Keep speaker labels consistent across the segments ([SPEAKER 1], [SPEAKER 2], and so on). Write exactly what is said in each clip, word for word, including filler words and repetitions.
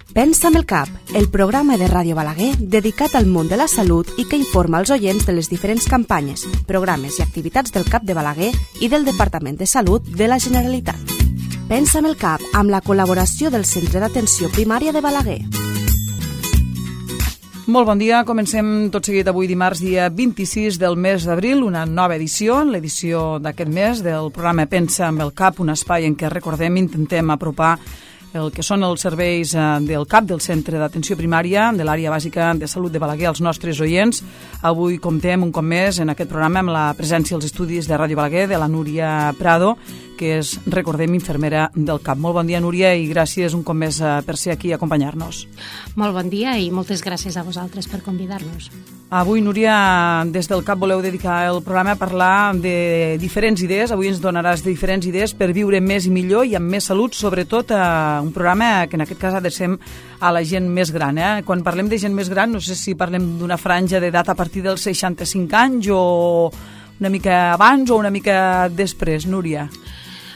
[SPEAKER 1] Pensa amb el cap, el programa de Ràdio Balaguer dedicat al món de la salut i que informa els oients de les diferents campanyes, programes i activitats del CAP de Balaguer i del Departament de Salut de la Generalitat. Pensa amb el cap, amb la col·laboració del Centre d'Atenció Primària de Balaguer.
[SPEAKER 2] Molt bon dia, comencem tot seguit avui dimarts dia vint-i-sis del mes d'abril, una nova edició, l'edició d'aquest mes del programa Pensa amb el cap, un espai en què, recordem, intentem apropar el que són els serveis del CAP, del Centre d'Atenció Primària, de l'Àrea Bàsica de Salut de Balaguer, als nostres oients. Avui comptem un cop més en aquest programa amb la presència als estudis de Ràdio Balaguer de la Núria Prado, que és, recordem, infermera del CAP. Molt bon dia, Núria, i gràcies un cop més per ser aquí a acompanyar-nos.
[SPEAKER 3] Molt bon dia i moltes gràcies a vosaltres per convidar-nos.
[SPEAKER 2] Avui, Núria, des del CAP voleu dedicar el programa a parlar de diferents idees. Avui ens donaràs diferents idees per viure més i millor i amb més salut, sobretot a un programa que en aquest cas adrecem a la gent més gran. Eh? Quan parlem de gent més gran, no sé si parlem d'una franja d'edat a partir dels seixanta-cinc anys o una mica abans o una mica després, Núria.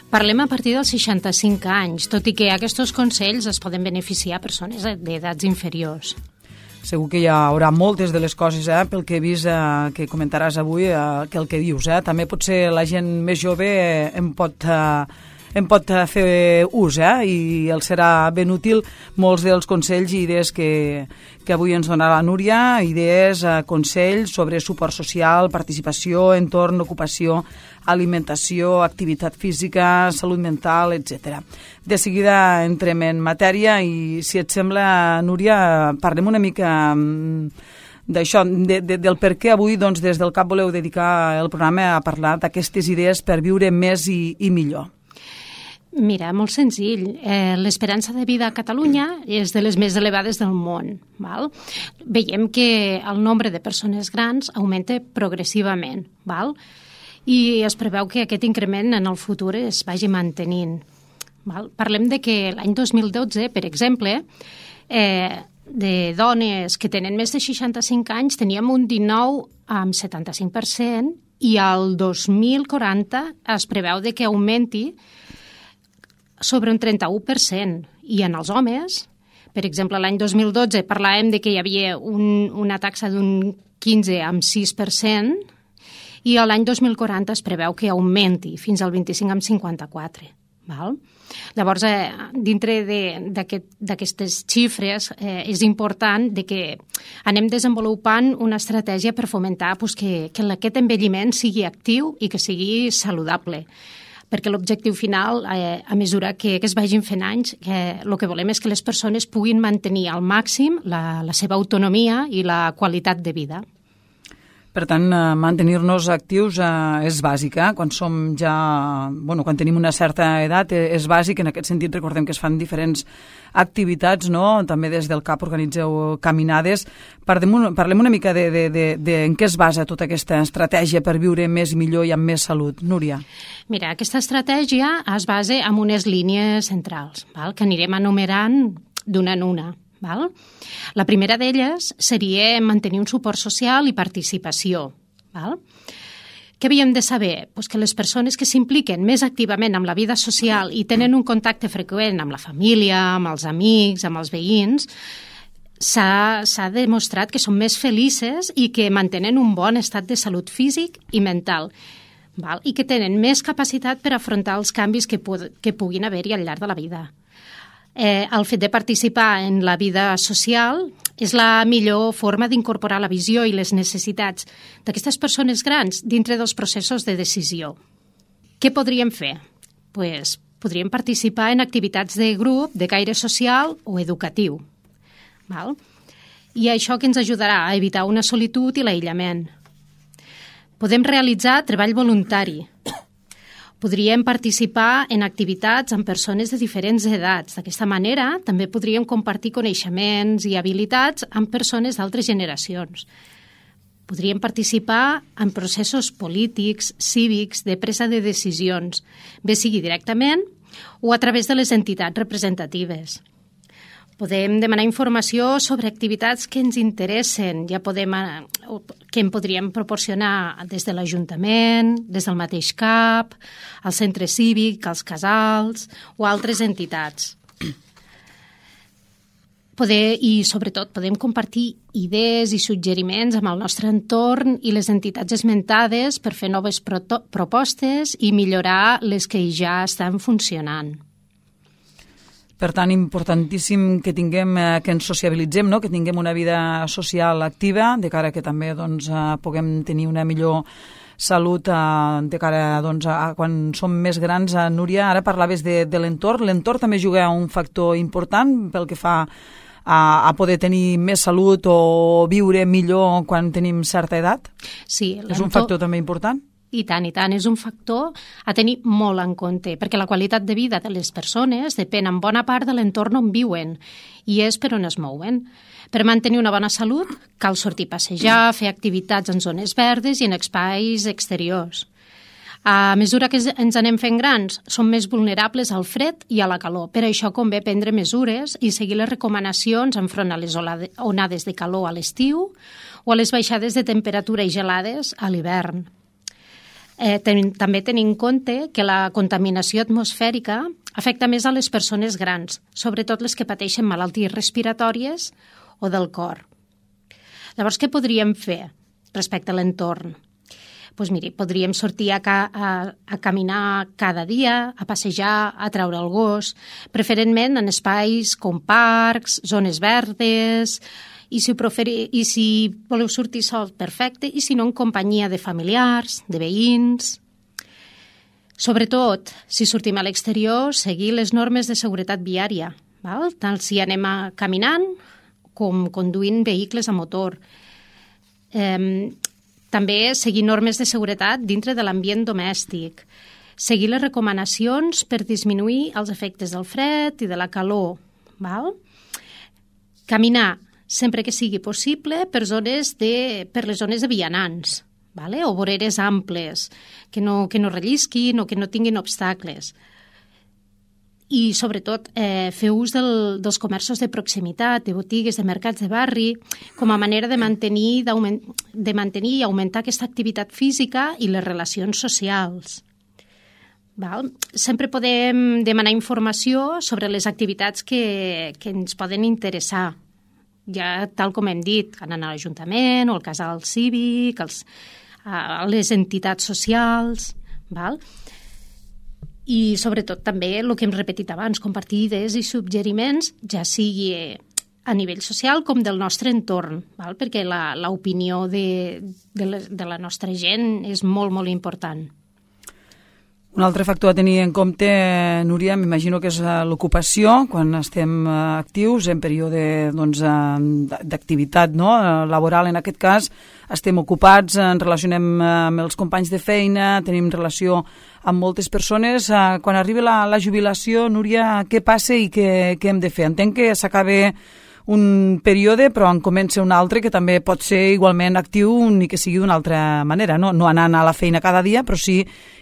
[SPEAKER 3] Parlem a partir dels seixanta-cinc anys, tot i que aquests consells es poden beneficiar a persones d'edats inferiors.
[SPEAKER 2] Segur que hi haurà moltes de les coses, eh, pel que he vist eh, que comentaràs avui, eh, que el que dius. Eh? També potser la gent més jove eh, en pot... Eh, en pot fer ús, eh? I els serà ben útil molts dels consells i idees que, que avui ens donarà la Núria, idees, eh, consells sobre suport social, participació, entorn, ocupació, alimentació, activitat física, salut mental, etcètera. De seguida entrem en matèria i, si et sembla, Núria, parlem una mica d'això, de, de, del per què avui doncs, des del CAP voleu dedicar el programa a parlar d'aquestes idees per viure més i, i millor.
[SPEAKER 3] Mira, molt senzill. Eh, l'esperança de vida a Catalunya és de les més elevades del món. Val? Veiem que el nombre de persones grans augmenta progressivament. Val? I es preveu que aquest increment en el futur es vagi mantenint. Val? Parlem de que l'any dos mil dotze, per exemple, eh, de dones que tenen més de seixanta-cinc anys teníem un dinou coma setanta-cinc per cent i al dos mil quaranta es preveu de que augmenti sobre un trenta-u per cent. I en els homes, per exemple, l'any dos mil dotze parlàvem de que hi havia un, una taxa d'un quinze coma sis per cent i l'any dos mil quaranta es preveu que augmenti fins al vint-i-cinc coma cinquanta-quatre. Val? Llavors, eh, dintre d'aquestes xifres, eh, és important de que anem desenvolupant una estratègia per fomentar pues, que, que aquest envelliment sigui actiu i que sigui saludable. Perquè l'objectiu final, eh, a mesura que, que es vagin fent anys, eh, el que volem és que les persones puguin mantenir al màxim la, la seva autonomia i la qualitat de vida.
[SPEAKER 2] Per tant, eh, mantenir-nos actius eh, és bàsic. Eh? Quan som ja, bueno, quan tenim una certa edat eh, és bàsic. En aquest sentit, recordem que es fan diferents activitats, no? També des del CAP organitzeu caminades. Parlem, parlem una mica de, de, de, de en què es basa tota aquesta estratègia per viure més i millor i amb més salut. Núria.
[SPEAKER 3] Mira, aquesta estratègia es basa en unes línies centrals, val? Que anirem enumerant d'una en una. Val? La primera d'elles seria mantenir un suport social i participació. Val? Què havíem de saber? Pues que les persones que s'impliquen més activament amb la vida social i tenen un contacte freqüent amb la família, amb els amics, amb els veïns, s'ha demostrat que són més felices i que mantenen un bon estat de salut físic i mental. Val? I que tenen més capacitat per afrontar els canvis que, pu que puguin haver-hi al llarg de la vida. Eh, el fet de participar en la vida social és la millor forma d'incorporar la visió i les necessitats d'aquestes persones grans dintre dels processos de decisió. Què podríem fer? Pues, podríem participar en activitats de grup, de caire social o educatiu. Val? I això que ens ajudarà a evitar una solitud i l'aïllament. Podem realitzar treball voluntari. Podríem participar en activitats amb persones de diferents edats. D'aquesta manera, també podríem compartir coneixements i habilitats amb persones d'altres generacions. Podríem participar en processos polítics, cívics, de presa de decisions, bé sigui directament o a través de les entitats representatives. Podem demanar informació sobre activitats que ens interessen, ja podem, que en podríem proporcionar des de l'Ajuntament, des del mateix CAP, el centre cívic, els casals o altres entitats. Poder, i sobretot podem compartir idees i suggeriments amb el nostre entorn i les entitats esmentades per fer noves proto- propostes i millorar les que ja estan funcionant.
[SPEAKER 2] Per tant, importantíssim que tinguem, eh, que ens sociabilitzem, no? Que tinguem una vida social activa, de cara que també doncs, eh, puguem tenir una millor salut eh, de cara doncs, a quan som més grans. Eh, Núria, ara parlaves de, de l'entorn. L'entorn també juga un factor important pel que fa a, a poder tenir més salut o viure millor quan tenim certa edat?
[SPEAKER 3] Sí,
[SPEAKER 2] és un factor també important?
[SPEAKER 3] I tant, i tant. És un factor a tenir molt en compte, perquè la qualitat de vida de les persones depèn en bona part de l'entorn on viuen i és per on es mouen. Per mantenir una bona salut cal sortir a passejar, fer activitats en zones verdes i en espais exteriors. A mesura que ens anem fent grans, som més vulnerables al fred i a la calor. Per això convé prendre mesures i seguir les recomanacions enfront a les onades de calor a l'estiu o a les baixades de temperatura i gelades a l'hivern. Eh, ten, també tenir en compte que la contaminació atmosfèrica afecta més a les persones grans, sobretot les que pateixen malalties respiratòries o del cor. Llavors, què podríem fer respecte a l'entorn? Doncs miri, podríem sortir a, ca, a, a caminar cada dia, a passejar, a treure el gos, preferentment en espais com parcs, zones verdes, i si, preferi, i si voleu sortir sol, perfecte, i si no, en companyia de familiars, de veïns. Sobretot, si sortim a l'exterior, seguir les normes de seguretat viària, val? Tant si anem a caminant com conduint vehicles a motor. Eh, també seguir normes de seguretat dintre de l'ambient domèstic. Seguir les recomanacions per disminuir els efectes del fred i de la calor. Val? Caminar sempre que sigui possible per, zones de, per les zones de vianants, vale? O voreres amples, que no, que no rellisquin o que no tinguin obstacles. I, sobretot, eh, fer ús del, dels comerços de proximitat, de botigues, de mercats de barri, com a manera de mantenir, de mantenir i augmentar aquesta activitat física i les relacions socials. Val? Sempre podem demanar informació sobre les activitats que, que ens poden interessar. Ja, tal com hem dit, anant a l'Ajuntament o al casal cívic, als, a les entitats socials, val? I sobretot també el que hem repetit abans, compartir idees i suggeriments, ja sigui a nivell social com del nostre entorn, val? Perquè l'opinió de, de, la, de la nostra gent és molt, molt important.
[SPEAKER 2] Un altre factor a tenir en compte, Núria, m'imagino que és l'ocupació, quan estem actius en període doncs, d'activitat no? laboral. En aquest cas, estem ocupats, ens relacionem amb els companys de feina, tenim relació amb moltes persones. Quan arriba la, la jubilació, Núria, què passa i què, què hem de fer? Entenc que s'acaba un període, però en comença un altre que també pot ser igualment actiu ni que sigui d'una altra manera, no, no anant a la feina cada dia, però sí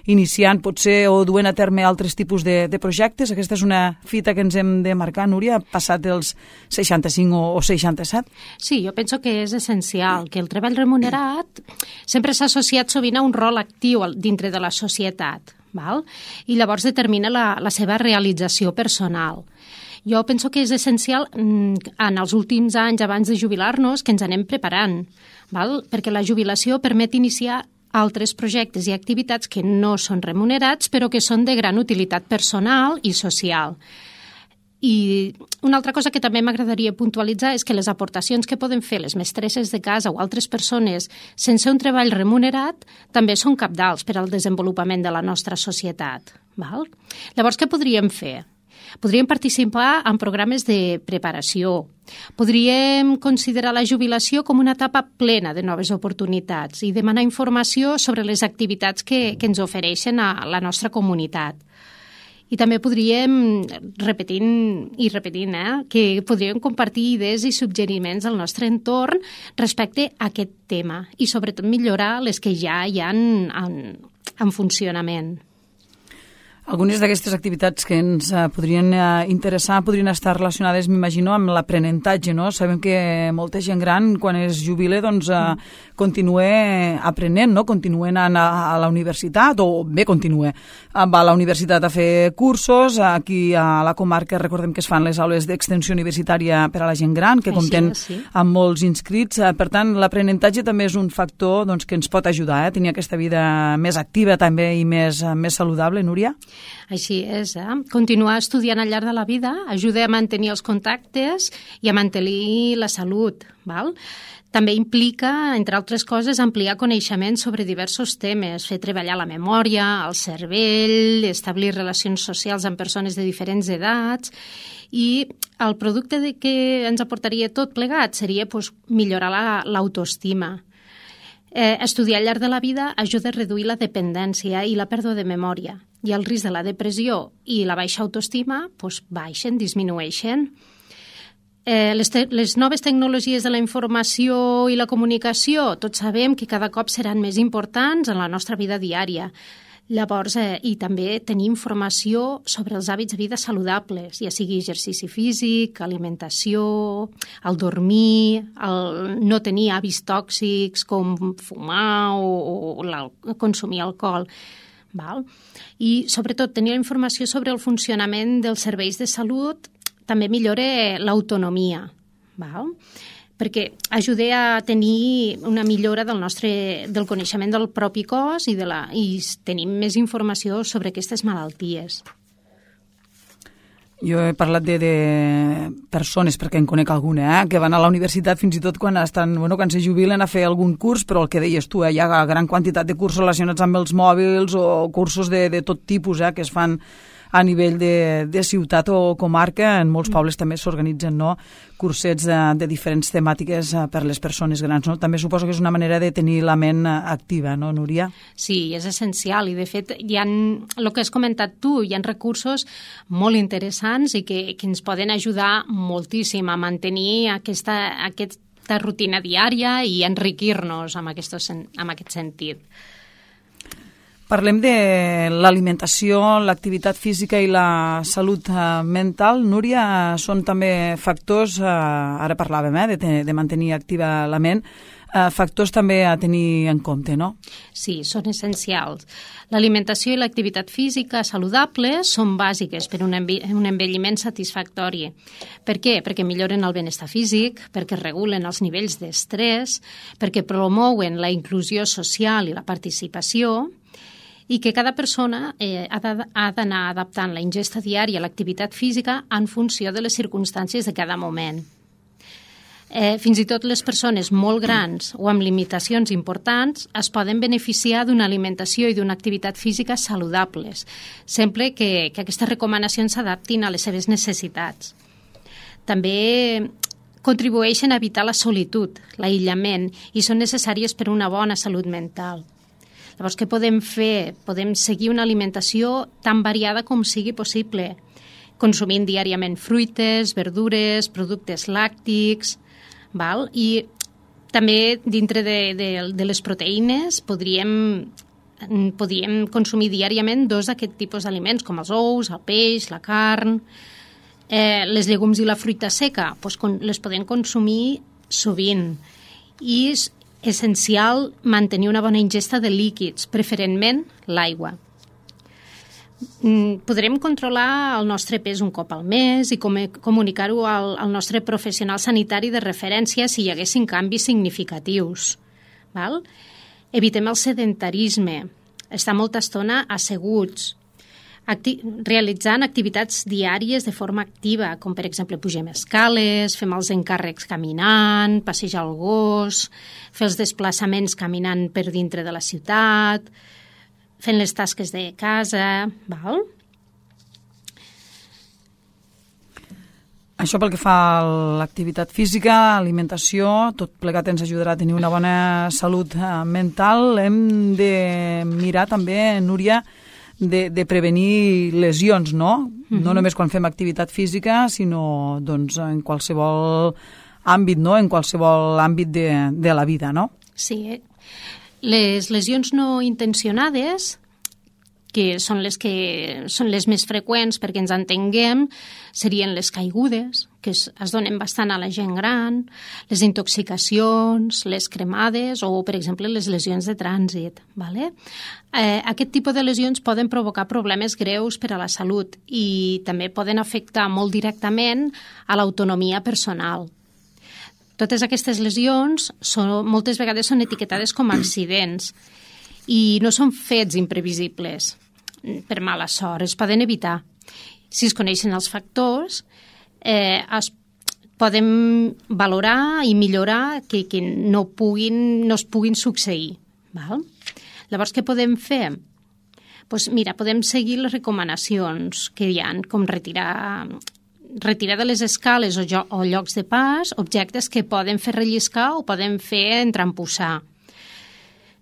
[SPEAKER 2] iniciant potser o duent a terme altres tipus de, de projectes. Aquesta és una fita que ens hem de marcar, Núria, passat dels seixanta-cinc o, o seixanta-set?
[SPEAKER 3] Sí, jo penso que és essencial, que el treball remunerat sempre s'ha associat sovint a un rol actiu dintre de la societat, val? I llavors determina la, la seva realització personal. Jo penso que és essencial en els últims anys abans de jubilar-nos que ens anem preparant, val? Perquè la jubilació permet iniciar altres projectes i activitats que no són remunerats però que són de gran utilitat personal i social. I una altra cosa que també m'agradaria puntualitzar és que les aportacions que poden fer les mestresses de casa o altres persones sense un treball remunerat també són cabdals per al desenvolupament de la nostra societat, val? Llavors, què podríem fer? Podríem participar en programes de preparació. Podríem considerar la jubilació com una etapa plena de noves oportunitats i demanar informació sobre les activitats que, que ens ofereixen a la nostra comunitat. I també podríem, repetint i repetint, eh, que podríem compartir idees i suggeriments al nostre entorn respecte a aquest tema i sobretot millorar les que ja hi ha en, en, en funcionament.
[SPEAKER 2] Algunes d'aquestes activitats que ens uh, podrien uh, interessar podrien estar relacionades, m'imagino, amb l'aprenentatge, no? Sabem que molta gent gran, quan es jubila, doncs uh, continua aprenent, no? Continua anant a, a la universitat, o bé continua, va a la universitat a fer cursos. Aquí a la comarca recordem que es fan les aules d'extensió universitària per a la gent gran, que compten sí, sí. amb molts inscrits. Per tant, l'aprenentatge també és un factor doncs, que ens pot ajudar a eh? tenir aquesta vida més activa també i més, més saludable, Núria?
[SPEAKER 3] Així és, eh? Continuar estudiant al llarg de la vida ajuda a mantenir els contactes i a mantenir la salut, val? També implica, entre altres coses, ampliar coneixements sobre diversos temes, fer treballar la memòria, el cervell, establir relacions socials amb persones de diferents edats, i el producte de que ens aportaria tot plegat seria pues, millorar la, l'autoestima. Eh, estudiar al llarg de la vida ajuda a reduir la dependència i la pèrdua de memòria, i el risc de la depressió i la baixa autoestima pues, baixen, disminueixen. Eh, les, te- les noves tecnologies de la informació i la comunicació, tots sabem que cada cop seran més importants en la nostra vida diària. Llavors, eh, i també tenir informació sobre els hàbits de vida saludables, ja sigui exercici físic, alimentació, el dormir, el no tenir hàbits tòxics com fumar o, o consumir alcohol. Val? I, sobretot, tenir informació sobre el funcionament dels serveis de salut també millora l'autonomia, val? Perquè ajuda a tenir una millora del nostre del coneixement del propi cos i, de la, i tenim més informació sobre aquestes malalties.
[SPEAKER 2] Jo he parlat de, de persones, perquè en conec alguna, eh, que van a la universitat fins i tot quan estan, bueno, quan se jubilen a fer algun curs, però el que deies tu, eh, hi ha gran quantitat de cursos relacionats amb els mòbils o cursos de, de tot tipus eh, que es fan a nivell de, de ciutat o comarca. En molts pobles també s'organitzen no, cursets de, de diferents temàtiques per les persones grans. No? També suposo que és una manera de tenir la ment activa, no, Núria?
[SPEAKER 3] Sí, és essencial i de fet hi ha, el que has comentat tu, hi ha recursos molt interessants i que, que ens poden ajudar moltíssim a mantenir aquesta, aquesta rutina diària i enriquir-nos amb, aquestos, amb aquest sentit.
[SPEAKER 2] Parlem de l'alimentació, l'activitat física i la salut mental. Núria, són també factors, ara parlàvem eh, de, de mantenir activa la ment, factors també a tenir en compte, no?
[SPEAKER 3] Sí, són essencials. L'alimentació i l'activitat física saludable són bàsiques per un envelliment satisfactori. Per què? Perquè milloren el benestar físic, perquè regulen els nivells d'estrès, perquè promouen la inclusió social i la participació, i que cada persona eh, ha d'anar adaptant la ingesta diària a l'activitat física en funció de les circumstàncies de cada moment. Eh, fins i tot les persones molt grans o amb limitacions importants es poden beneficiar d'una alimentació i d'una activitat física saludables, sempre que, que aquestes recomanacions s'adaptin a les seves necessitats. També contribueixen a evitar la solitud, l'aïllament, i són necessàries per a una bona salut mental. Llavors, què podem fer? Podem seguir una alimentació tan variada com sigui possible, consumint diàriament fruites, verdures, productes làctics, val? I també dintre de, de, de les proteïnes podríem, podríem consumir diàriament dos d'aquest tipus d'aliments, com els ous, el peix, la carn. Eh, les llegums i la fruita seca doncs, les podem consumir sovint. I essencial mantenir una bona ingesta de líquids, preferentment l'aigua. Podrem controlar el nostre pes un cop al mes i comunicar-ho al, al nostre professional sanitari de referència si hi haguessin canvis significatius. Val? Evitem el sedentarisme, estar molta estona asseguts, Acti- realitzant activitats diàries de forma activa, com per exemple pugem escales, fem els encàrrecs caminant, passejar el gos, fer els desplaçaments caminant per dintre de la ciutat, fent les tasques de casa, val?
[SPEAKER 2] Això pel que fa a l'activitat física, alimentació, tot plegat ens ajudarà a tenir una bona salut mental. Hem de mirar també, Núria, De, de prevenir lesions, no? Mm-hmm. No només quan fem activitat física, sinó doncs, en qualsevol àmbit, no? En qualsevol àmbit de, de la vida, no?
[SPEAKER 3] Sí. Les lesions no intencionades que són les que són les més freqüents perquè ens entenguem, serien les caigudes, que es, es donen bastant a la gent gran, les intoxicacions, les cremades o, per exemple, les lesions de trànsit. Vale? Eh, aquest tipus de lesions poden provocar problemes greus per a la salut i també poden afectar molt directament a l'autonomia personal. Totes aquestes lesions són, moltes vegades són etiquetades com a accidents i no són fets imprevisibles per mala sort, es poden evitar. Si es coneixen els factors, eh, es poden valorar i millorar que, que no, puguin, no es puguin succeir. Val? Llavors, què podem fer? Pues mira, podem seguir les recomanacions que hi ha, com retirar, retirar de les escales o, jo, o llocs de pas objectes que poden fer relliscar o poden fer entrampussar.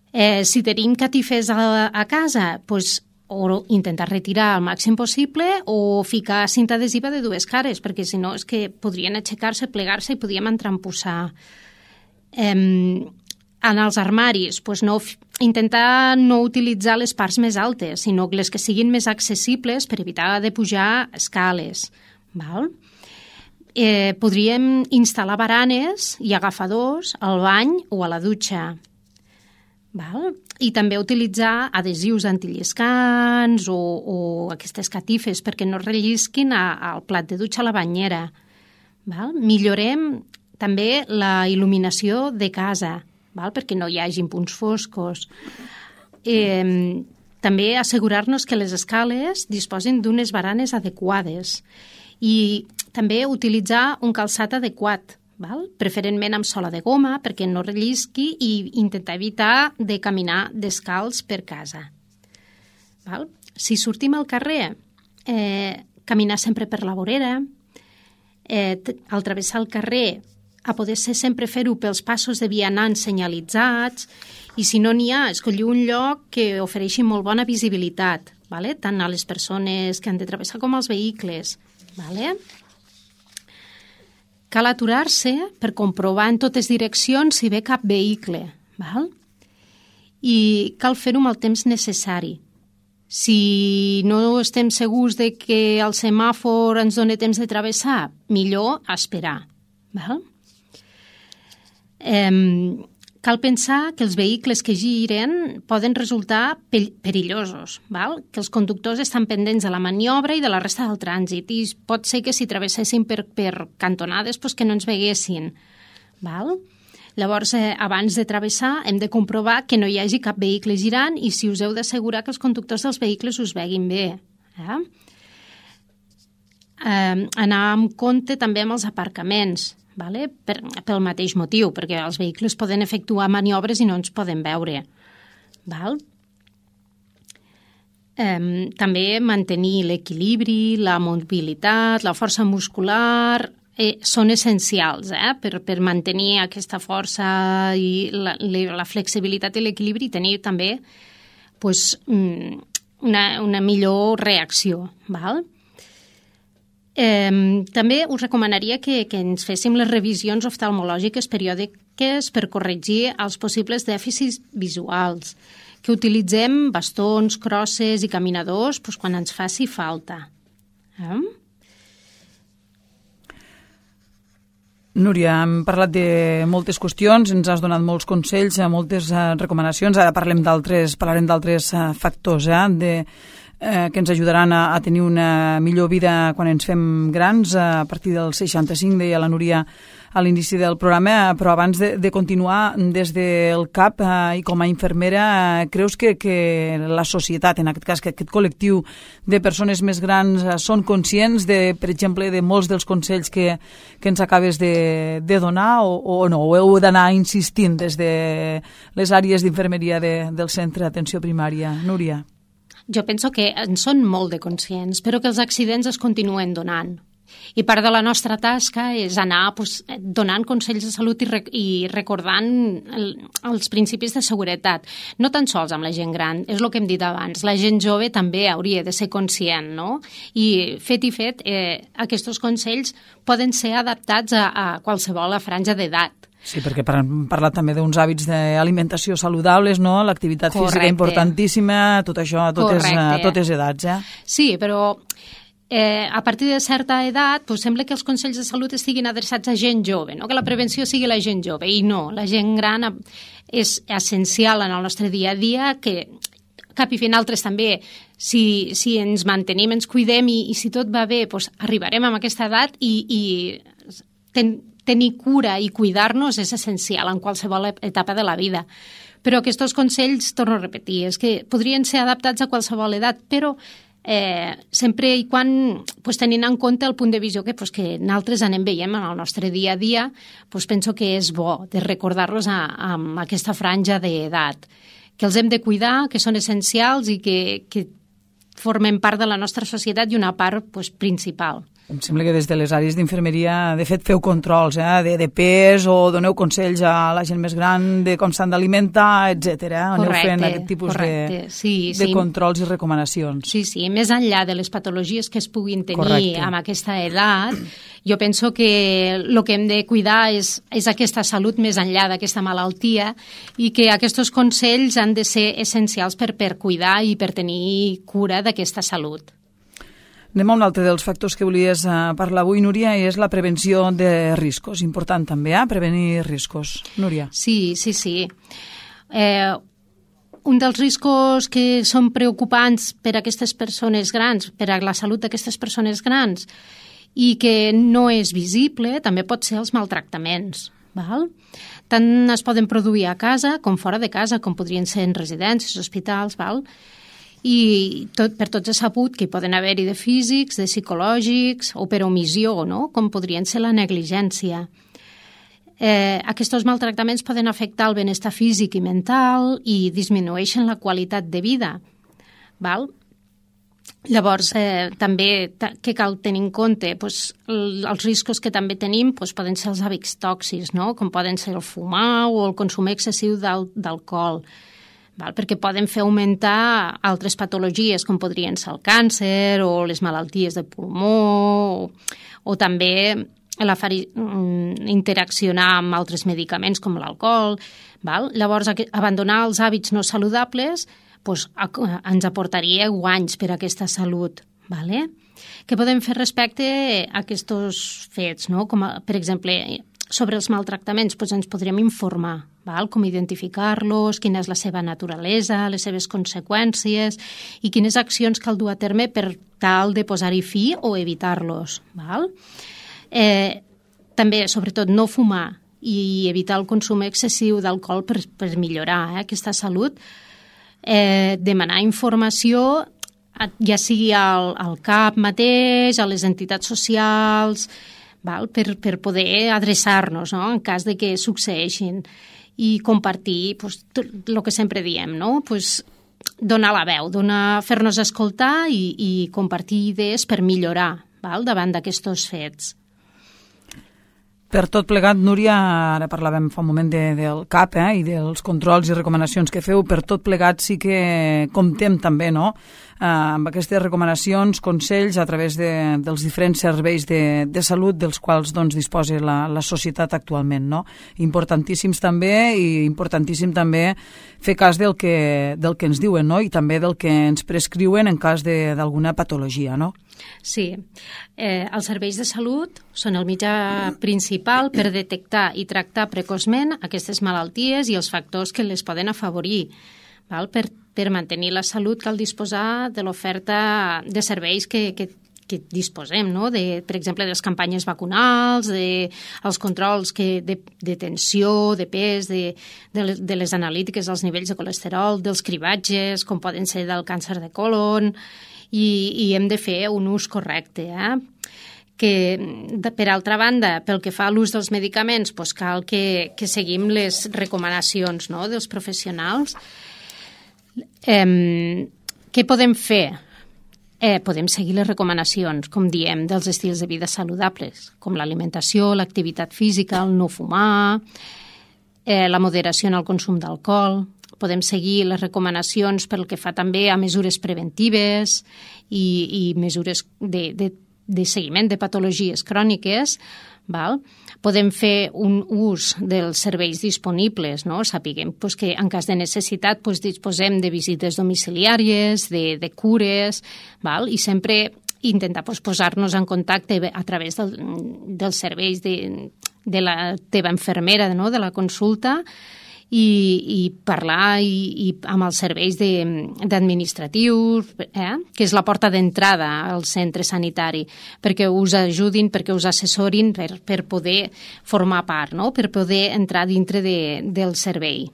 [SPEAKER 3] Eh, si tenim catifes a, a casa, pues, o intentar retirar el màxim possible o ficar cinta adhesiva de dues cares, perquè si no és que podrien aixecar-se, plegar-se i podríem entrampussar. Eh, en els armaris, pues no, intentar no utilitzar les parts més altes, sinó les que siguin més accessibles per evitar de pujar escales. Val? Eh, podríem instal·lar baranes i agafadors al bany o a la dutxa. Val? I també utilitzar adhesius antilliscants o, o aquestes catifes perquè no rellisquin a, al plat de dutxa a la banyera. Val? Millorem també la il·luminació de casa, val? Perquè no hi hagi punts foscos. Eh, també assegurar-nos que les escales disposin d'unes baranes adequades i també utilitzar un calçat adequat, val? Preferentment amb sola de goma perquè no rellisqui i intentar evitar de caminar descalç per casa. Val? Si sortim al carrer, eh, caminar sempre per la vorera, eh, al travessar el carrer, a poder ser sempre fer-ho pels passos de vianants senyalitzats i si no n'hi ha, escollir un lloc que ofereixi molt bona visibilitat, vale? Tant a les persones que han de travessar com als vehicles. Vale? Cal aturar-se per comprovar en totes direccions si ve cap vehicle, val? I cal fer-ho amb el temps necessari. Si no estem segurs de que el semàfor ens doni temps de travessar, millor esperar. Val? Eh, cal pensar que els vehicles que giren poden resultar perillosos, val? Que els conductors estan pendents de la maniobra i de la resta del trànsit i pot ser que si travessessin per, per cantonades pues que no ens veguessin. Val? Llavors, eh, abans de travessar hem de comprovar que no hi hagi cap vehicle girant i si us heu d'assegurar que els conductors dels vehicles us veguin bé. Eh? Eh, anar amb compte també amb els aparcaments, vale? Per, pel mateix motiu, perquè els vehicles poden efectuar maniobres i no ens poden veure. Val? Eh, també mantenir l'equilibri, la mobilitat, la força muscular, eh, són essencials eh? per, per mantenir aquesta força i la, la flexibilitat i l'equilibri i tenir també pues, una, una millor reacció. Val? Eh, també us recomanaria que, que ens féssim les revisions oftalmològiques periòdiques per corregir els possibles dèficits visuals, que utilitzem bastons, crosses i caminadors doncs, quan ens faci falta. Eh?
[SPEAKER 2] Núria, hem parlat de moltes qüestions, ens has donat molts consells, moltes recomanacions, ara parlem d'altres, parlarem d'altres factors, eh, de Eh, que ens ajudaran a, a tenir una millor vida quan ens fem grans, a partir dels seixanta-cinc, deia la Núria a l'inici del programa, però abans de, de continuar, des del C A P eh, i com a infermera, eh, creus que, que la societat, en aquest cas, que aquest col·lectiu de persones més grans eh, són conscients, de, per exemple, de molts dels consells que, que ens acabes de, de donar o, o no? O heu d'anar insistint des de les àrees d'infermeria de, del centre d'atenció primària? Núria?
[SPEAKER 3] Jo penso que en són molt de conscients, però que els accidents es continuen donant. I part de la nostra tasca és anar pues, donant consells de salut i, rec i recordant el, els principis de seguretat. No tan sols amb la gent gran, és el que hem dit abans. La gent jove també hauria de ser conscient, no? I fet i fet, eh, aquests consells poden ser adaptats a, a qualsevol franja d'edat.
[SPEAKER 2] Sí, perquè hem parlat també d'uns hàbits d'alimentació saludables, no? L'activitat física importantíssima, tot això a totes, a totes edats, eh?
[SPEAKER 3] Sí, però eh, a partir de certa edat pues, sembla que els consells de salut estiguin adreçats a gent jove, no? Que la prevenció sigui la gent jove, i no, la gent gran és essencial en el nostre dia a dia, que cap i finaltres també, si, si ens mantenim, ens cuidem i, i si tot va bé, pues, arribarem a aquesta edat i, i ten, tenir cura i cuidar-nos és essencial en qualsevol etapa de la vida. Però aquests consells, torno a repetir, és que podrien ser adaptats a qualsevol edat, però eh, sempre i quan pues, tenint en compte el punt de visió que, pues, que nosaltres anem veiem en el nostre dia a dia, pues, penso que és bo de recordar-los amb aquesta franja d'edat, que els hem de cuidar, que són essencials i que, que formen part de la nostra societat i una part pues, principal.
[SPEAKER 2] Em sembla que des de les àrees d'infermeria, de fet, feu controls eh, de, de pes o doneu consells a la gent més gran de com s'han d'alimentar, etcètera. Aneu fent aquest tipus correcte. de, sí, de sí. controls i recomanacions.
[SPEAKER 3] Sí, sí. Més enllà de les patologies que es puguin tenir correcte. Amb aquesta edat, jo penso que el que hem de cuidar és, és aquesta salut més enllà d'aquesta malaltia i que aquests consells han de ser essencials per, per cuidar i per tenir cura d'aquesta salut.
[SPEAKER 2] Anem a un altre dels factors que volies uh, parlar avui, Núria, i és la prevenció de riscos. Important també, eh? Prevenir riscos. Núria.
[SPEAKER 3] Sí, sí, sí. Eh, un dels riscos que són preocupants per a aquestes persones grans, per a la salut d'aquestes persones grans, i que no és visible, també pot ser els maltractaments. Val? Tant es poden produir a casa com fora de casa, com podrien ser en residències, hospitals, val? I tot, per tots és sabut que hi poden haver-hi de físics, de psicològics o per omissió, no? Com podrien ser la negligència. Eh, aquests maltractaments poden afectar el benestar físic i mental i disminueixen la qualitat de vida. Val? Llavors, eh, també què cal tenir en compte? Pues, el, els riscos que també tenim pues, poden ser els hàbits tòxics, no? Com poden ser el fumar o el consum excessiu d'alcohol. Val? Perquè poden fer augmentar altres patologies, com podrien ser el càncer o les malalties de pulmó, o, o també la fari, interaccionar amb altres medicaments com l'alcohol. Val? Llavors, abandonar els hàbits no saludables pues, ens aportaria guanys per a aquesta salut. Vale? Què podem fer respecte a aquests fets? No? Com a, per exemple, sobre els maltractaments pues, ens podríem informar. Val? Com identificar-los, quina és la seva naturalesa, les seves conseqüències i quines accions cal dur a terme per tal de posar-hi fi o evitar-los. Val? Eh, també, sobretot, no fumar i evitar el consum excessiu d'alcohol per, per millorar eh, aquesta salut. Eh, demanar informació, ja sigui al, al C A P mateix, a les entitats socials, val? Per, per poder adreçar-nos, no? En cas de que succeeixin. I compartir pues, el que sempre diem, no? Pues, donar la veu, donar, fer-nos escoltar i, i compartir idees per millorar val? Davant d'aquests fets.
[SPEAKER 2] Per tot plegat, Núria, ara parlàvem fa un moment de, del C A P eh, i dels controls i recomanacions que feu, per tot plegat sí que comptem també, no?, eh, amb aquestes recomanacions, consells a través de, dels diferents serveis de, de salut dels quals doncs, disposa la, la societat actualment, no? Importantíssims també i importantíssim també fer cas del que, del que ens diuen, no?, i també del que ens prescriuen en cas d'alguna patologia, no?
[SPEAKER 3] Sí. Eh, els serveis de salut són el mitjà principal per detectar i tractar precoçment aquestes malalties i els factors que les poden afavorir. Val? Per, per mantenir la salut cal disposar de l'oferta de serveis que, que, que disposem, no? De, per exemple, de les campanyes vacunals, de, els controls que, de, de tensió, de pes, de, de, les, de les analítiques dels nivells de colesterol, dels cribatges, com poden ser del càncer de colon, i, i hem de fer un ús correcte, eh? Que, de, per altra banda, pel que fa a l'ús dels medicaments, doncs cal que, que seguim les recomanacions, no?, dels professionals. Eh, què podem fer? Eh, podem seguir les recomanacions, com diem, dels estils de vida saludables, com l'alimentació, l'activitat física, el no fumar, eh, la moderació en el consum d'alcohol. Podem seguir les recomanacions pel que fa també a mesures preventives i, i mesures de, de de seguiment de patologies cròniques, val? Podem fer un ús dels serveis disponibles, no? Sapiguem pues, que en cas de necessitat pues, disposem de visites domiciliàries, de, de cures, val? I sempre intentar pues, posar-nos en contacte a través del, dels serveis de, de la teva infermera, no? De la consulta, i, i parlar i, i amb els serveis d'administratius, eh? Que és la porta d'entrada al centre sanitari, perquè us ajudin, perquè us assessorin per, per poder formar part, no? Per poder entrar dintre de, del servei.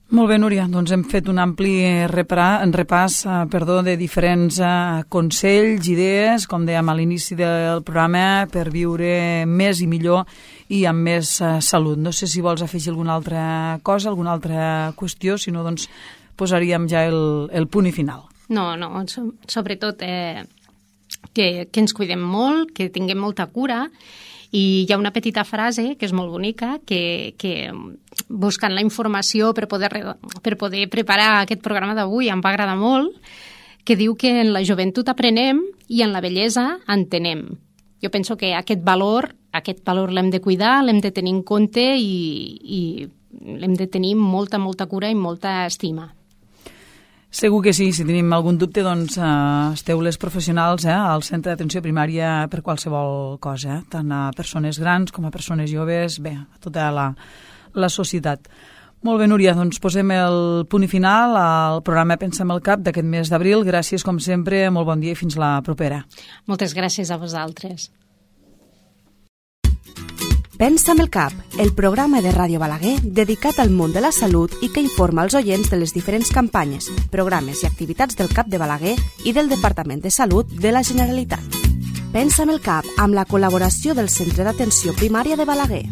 [SPEAKER 2] Molt bé, Núria, doncs hem fet un ampli repàs, repàs eh, perdó, de diferents eh, consells, idees, com dèiem a l'inici del programa, per viure més i millor i amb més eh, salut. No sé si vols afegir alguna altra cosa, alguna altra qüestió, si no, doncs posaríem ja el, el punt i final.
[SPEAKER 3] No, no, so, sobretot eh, que, que ens cuidem molt, que tinguem molta cura. I hi ha una petita frase que és molt bonica, que, que buscant la informació per poder, per poder preparar aquest programa d'avui em va agradar molt, que diu que en la joventut aprenem i en la vellesa entenem. Jo penso que aquest valor, aquest valor l'hem de cuidar, l'hem de tenir en compte i, i l'hem de tenir molta, molta cura i molta estima.
[SPEAKER 2] Segur que sí, si tenim algun dubte, doncs eh, esteu les professionals eh, al centre d'atenció primària per qualsevol cosa, eh, tant a persones grans com a persones joves, bé, a tota la, la societat. Molt bé, Núria, doncs posem el punt i final al programa Pensa'm el Cap d'aquest mes d'abril. Gràcies, com sempre, molt bon dia i fins la propera.
[SPEAKER 3] Moltes gràcies a vosaltres.
[SPEAKER 1] Pensa'm el Cap, el programa de Ràdio Balaguer dedicat al món de la salut i que informa els oients de les diferents campanyes, programes i activitats del Cap de Balaguer i del Departament de Salut de la Generalitat. Pensa'm el Cap, amb la col·laboració del Centre d'Atenció Primària de Balaguer.